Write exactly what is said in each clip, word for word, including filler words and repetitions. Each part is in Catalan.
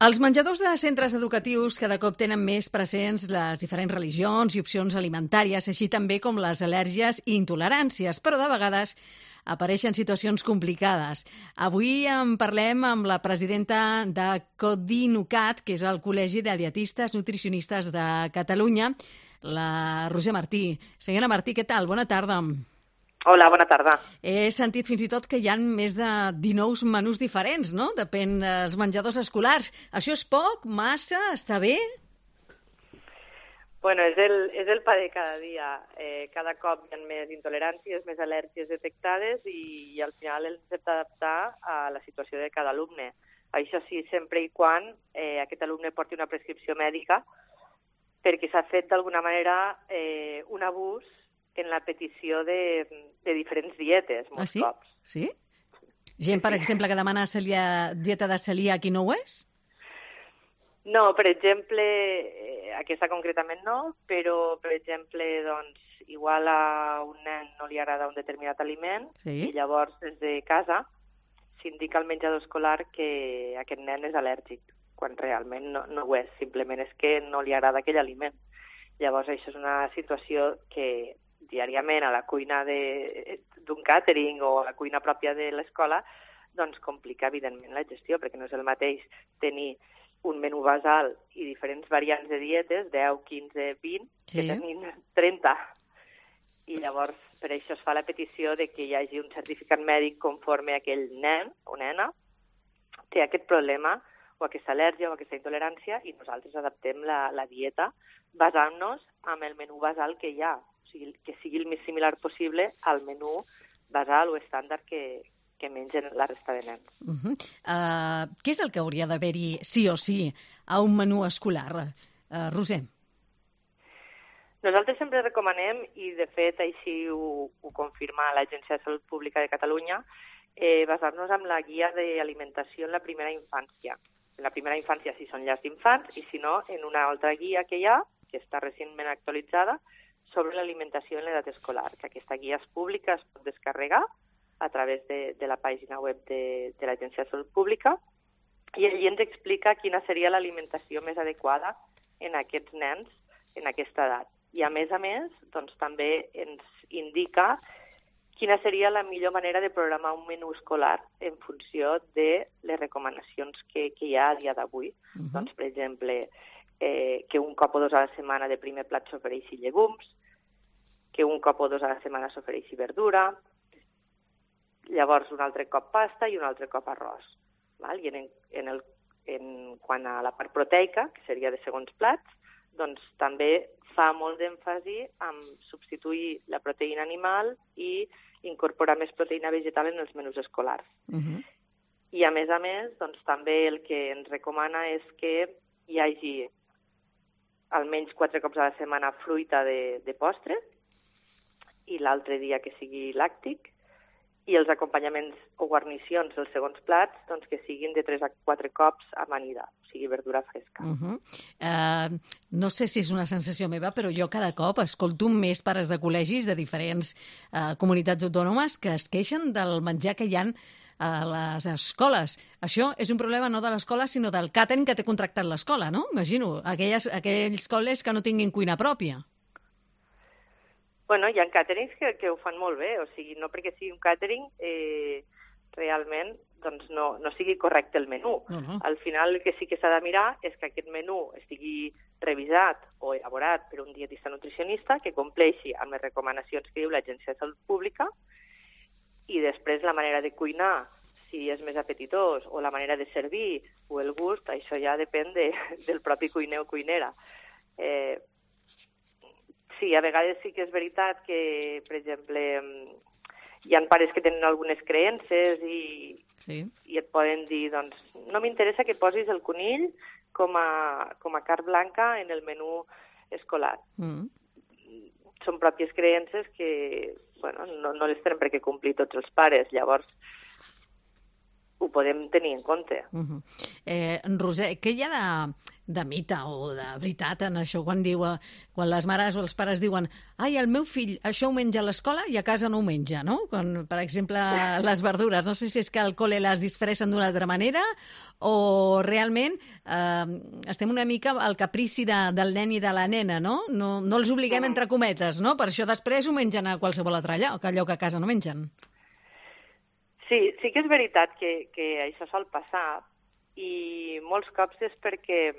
Els menjadors de centres educatius cada cop tenen més presents les diferents religions i opcions alimentàries, així també com les al·lèrgies i intoleràncies, però de vegades apareixen situacions complicades. Avui en parlem amb la presidenta de CODINUCAT, que és el Col·legi de Dietistes Nutricionistes de Catalunya, la Roser Martí. Senyora Martí, què tal? Bona tarda. Hola, bona tarda. He sentit fins i tot que hi ha més de dinou menús diferents, no? Depèn dels menjadors escolars. Això és poc? Massa? Està bé? Bueno, és el, és el pa de cada dia. Eh, cada cop hi ha més intoleràncies, més al·lèrgies detectades i, i al final ens hem d'adaptar a la situació de cada alumne. Això sí, sempre i quan eh, aquest alumne porti una prescripció mèdica, perquè s'ha fet d'alguna manera eh, un abús en la petició de, de diferents dietes, molts ah, sí? cops. Sí? Gent, per exemple, que demana celia, dieta de celíac i no ho és? No, per exemple, eh, aquesta concretament no, però, per exemple, doncs, igual a un nen no li agrada un determinat aliment sí? i llavors des de casa s'indica al menjador escolar que aquest nen és al·lèrgic, quan realment no, no ho és, simplement és que no li agrada aquell aliment. Llavors, això és una situació que diàriament a la cuina d'un càtering o a la cuina pròpia de l'escola, doncs complica evidentment la gestió, perquè no és el mateix tenir un menú basal i diferents variants de dietes, deu, quinze, vint, sí. que tenim trenta. I llavors per això es fa la petició de que hi hagi un certificat mèdic conforme aquell nen o nena té aquest problema o aquesta al·lèrgia o aquesta intolerància i nosaltres adaptem la, la dieta basant-nos en el menú basal que hi ha. O sigui, que sigui el més similar possible al menú basal o estàndard que, que mengen la resta de nens. Uh -huh. uh, què és el que hauria d'haver-hi sí o sí a un menú escolar? Uh, Roser. Nosaltres sempre recomanem, i de fet així ho, ho confirma l'Agència de Salut Pública de Catalunya, eh, basar-nos en la guia d'alimentació en la primera infància. En la primera infància si són llars d'infants i si no en una altra guia que hi ha, que està recentment actualitzada, sobre l'alimentació en l'edat escolar, que aquesta guia és pública, es pot descarregar a través de, de la pàgina web de, de l'Agència de Salut Pública, i allí ens explica quina seria l'alimentació més adequada en aquests nens en aquesta edat. I a més a més, doncs, també ens indica quina seria la millor manera de programar un menú escolar en funció de les recomanacions que, que hi ha a dia d'avui. Uh-huh. Doncs, per exemple, eh, que un cop o dos a la setmana de primer plat s'ofereixi llegums, que un cop o dos a la setmana s'ofereixi verdura, llavors un altre cop pasta i un altre cop arròs. Val? I en, en el, en, quan a la part proteica, que seria de segons plats, doncs també fa molt d'èmfasi en substituir la proteïna animal i incorporar més proteïna vegetal en els menús escolars. Uh-huh. I a més a més, doncs també el que ens recomana és que hi hagi almenys quatre cops a la setmana fruita de, de postre, i l'altre dia que sigui làctic, i els acompanyaments o guarnicions dels segons plats doncs, que siguin de tres a quatre cops amanida, o sigui, verdura fresca. Uh-huh. uh, no sé si és una sensació meva, però jo cada cop escolto més pares de col·legis de diferents uh, comunitats autònomes que es queixen del menjar que hi ha a les escoles. Això és un problema no de l'escola, sinó del càtering que té contractat l'escola, no? Imagino, aquelles, aquells col·les que no tinguin cuina pròpia. Bueno, hi ha càterings que, que ho fan molt bé, o sigui, no perquè sigui un càtering eh, realment doncs no, no sigui correcte el menú. Uh-huh. Al final el que sí que s'ha de mirar és que aquest menú estigui revisat o elaborat per un dietista nutricionista que compleixi amb les recomanacions que diu l'Agència de Salut Pública, i després la manera de cuinar, si és més apetitós, o la manera de servir, o el gust, això ja depèn de, del propi cuiner o cuinera. Eh, sí, a vegades sí que és veritat que, per exemple, hi ha pares que tenen algunes creences i, sí. i et poden dir, doncs, no m'interessa que posis el conill com a, com a carn blanca en el menú escolar. Mm. Són pròpies creences que bueno, no, no les tenen per què complir tots els pares, llavors ho podem tenir en compte. Uh-huh. eh, Roser, què hi ha de, de mite o de veritat en això quan diu, quan les mares o els pares diuen ai, el meu fill això ho menja a l'escola i a casa no ho menja, no? Quan, per exemple, les verdures, no sé si és que al col·le les disfressen d'una altra manera o realment eh, estem una mica al caprici de, del nen i de la nena, no? No, no els obliguem entre cometes, no? Per això després ho mengen a qualsevol altre lloc, allò que a casa no mengen. Sí, sí que és veritat que, que això sol passar, i molts cops és perquè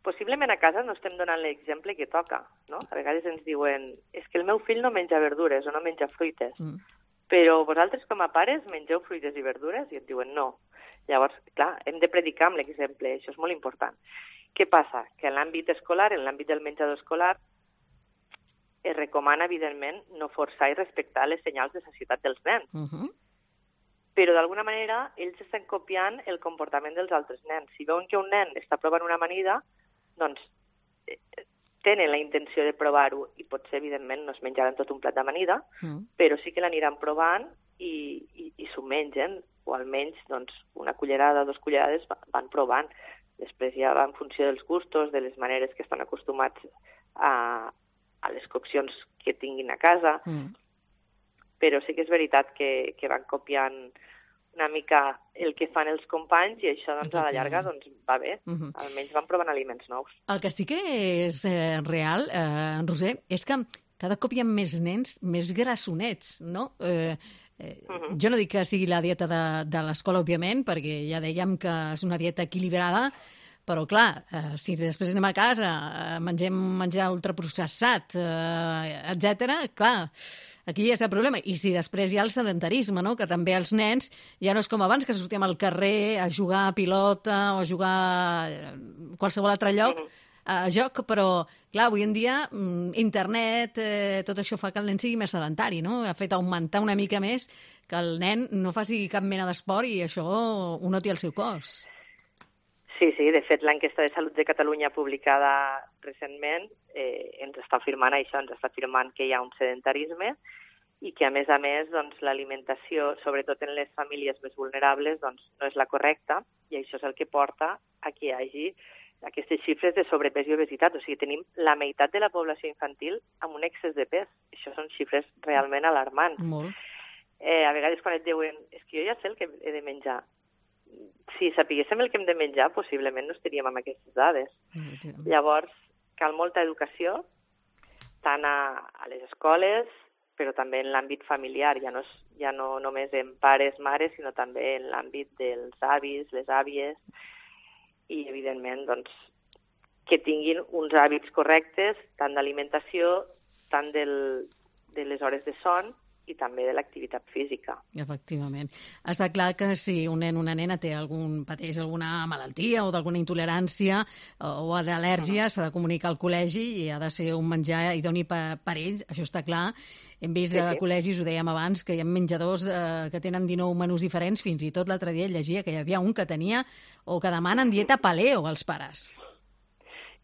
possiblement a casa no estem donant l'exemple que toca, no? A vegades ens diuen és que el meu fill no menja verdures o no menja fruites, mm. però vosaltres com a pares mengeu fruites i verdures? I et diuen no. Llavors, clar, hem de predicar amb l'exemple, això és molt important. Què passa? Que en l'àmbit escolar, en l'àmbit del menjador escolar, es recomana, evidentment, no forçar i respectar les senyals de sacietat dels nens. Uh-huh. Però d'alguna manera ells estan copiant el comportament dels altres nens. Si veuen que un nen està provant una amanida, doncs tenen la intenció de provar-ho i potser, evidentment, no es menjaran tot un plat d'amanida, mm. però sí que l'aniran provant i, i, i s'ho mengen, o almenys doncs, una cullerada, dos cullerades van provant. Després ja va en funció dels gustos, de les maneres que estan acostumats a, a les coccions que tinguin a casa, mm. però sí que és veritat que, que van copiant una mica el que fan els companys i això doncs, a la llarga doncs, va bé. Uh-huh. Almenys van provant aliments nous. El que sí que és eh, real, eh, Roser, és que cada cop hi ha més nens més grassonets, no? Eh, eh, uh-huh. Jo no dic que sigui la dieta de, de l'escola, òbviament, perquè ja dèiem que és una dieta equilibrada, però, clar, eh, si després anem a casa, eh, mengem menjar ultraprocessat, eh, etcètera, clar, aquí ja està el problema. I si després hi ha el sedentarisme, no? Que també els nens ja no és com abans, que sortíem al carrer a jugar a pilota o a jugar a qualsevol altre lloc, a joc, però, clar, avui en dia internet, eh, tot això fa que el nen sigui més sedentari, no? Ha fet augmentar una mica més que el nen no faci cap mena d'esport i això ho noti al seu cos. Sí, sí, de fet l'enquesta de Salut de Catalunya publicada recentment eh, ens està afirmant això, ens està afirmant que hi ha un sedentarisme i que a més a més doncs, l'alimentació, sobretot en les famílies més vulnerables, doncs, no és la correcta i això és el que porta a que hi hagi aquestes xifres de sobrepès i obesitat. O sigui, tenim la meitat de la població infantil amb un excés de pes. Això són xifres realment alarmants. Molt. Eh, a vegades quan et diuen és que jo ja sé el que he de menjar. Si sapiguéssim el que hem de menjar, possiblement no estaríem amb aquestes dades. Mm-hmm. Llavors, cal molta educació, tant a, a les escoles, però també en l'àmbit familiar, ja no, ja no només en pares, mares, sinó també en l'àmbit dels avis, les àvies, i, evidentment, doncs, que tinguin uns hàbits correctes, tant d'alimentació, tant del, de les hores de son, i també de l'activitat física. Efectivament. Està clar que si un nen o una nena té algun, pateix alguna malaltia o d'alguna intolerància o d'al·lèrgia, uh-huh. s'ha de comunicar al col·legi i ha de ser un menjar idoni per, per ells, això està clar. Hem vist sí, sí. a col·legis, ho dèiem abans, que hi ha menjadors eh, que tenen dinou menús diferents, fins i tot l'altre dia llegia que hi havia un que tenia o que demanen dieta paleo als pares.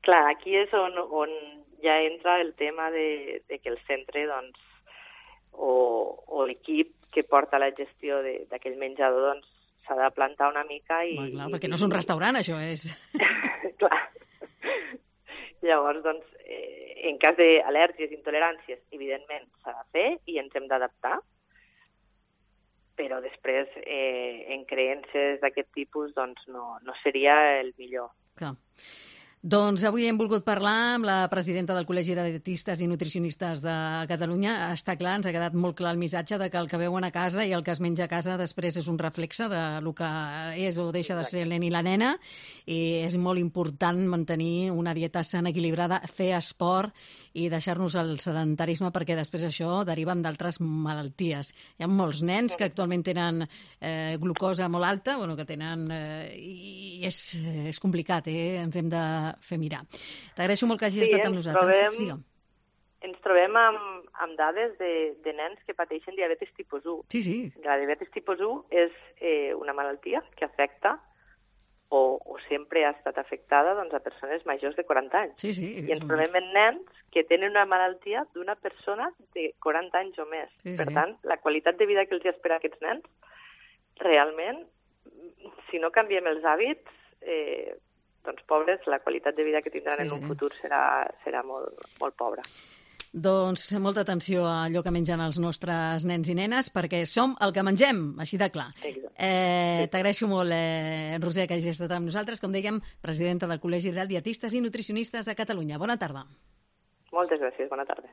Clar, aquí és on, on ja entra el tema de, de que el centre, doncs, o, o l'equip que porta la gestió d'aquell menjador doncs s'ha de plantar una mica i... Bueno, clar, perquè no és un restaurant, això és... clar. Llavors, doncs, eh, en cas d'al·lèrgies, intoleràncies, evidentment s'ha de fer i ens hem d'adaptar, però després eh, en creences d'aquest tipus doncs no, no seria el millor. Clar. Doncs avui hem volgut parlar amb la presidenta del Col·legi de Dietistes i Nutricionistes de Catalunya. Està clar, ens ha quedat molt clar el missatge de que el que veuen a casa i el que es menja a casa després és un reflexe de lo que és o deixa de ser el nen i la nena, i és molt important mantenir una dieta sana, equilibrada, fer esport i deixar-nos el sedentarisme, perquè després això deriva en d'altres malalties. Hi ha molts nens que actualment tenen eh, glucosa molt alta, bueno, que tenen... Eh, i és, és complicat, eh? Ens hem de fer mirar. T'agraeixo molt que hagis sí, estat amb nosaltres. Trobem, sí, ens trobem amb, amb dades de, de nens que pateixen diabetis tipus u. Sí, sí. La diabetis tipus u és eh, una malaltia que afecta o, o sempre ha estat afectada doncs, a persones majors de quaranta anys. Sí, sí. I ens trobem en nens que tenen una malaltia d'una persona de quaranta anys o més. Sí, per sí. tant, la qualitat de vida que els espera a aquests nens, realment, si no canviem els hàbits, eh, doncs, pobres, la qualitat de vida que tindran Sí, en un sí. futur serà, serà molt, molt pobra. Doncs molta atenció a allò que mengen els nostres nens i nenes, perquè som el que mengem, així de clar. Exacte. Eh, T'agraeixo molt, eh, Roser, que hagis estat amb nosaltres, com dèiem, presidenta del Col·legi de Dietistes i Nutricionistes de Catalunya. Bona tarda. Moltes gràcies, bona tarda.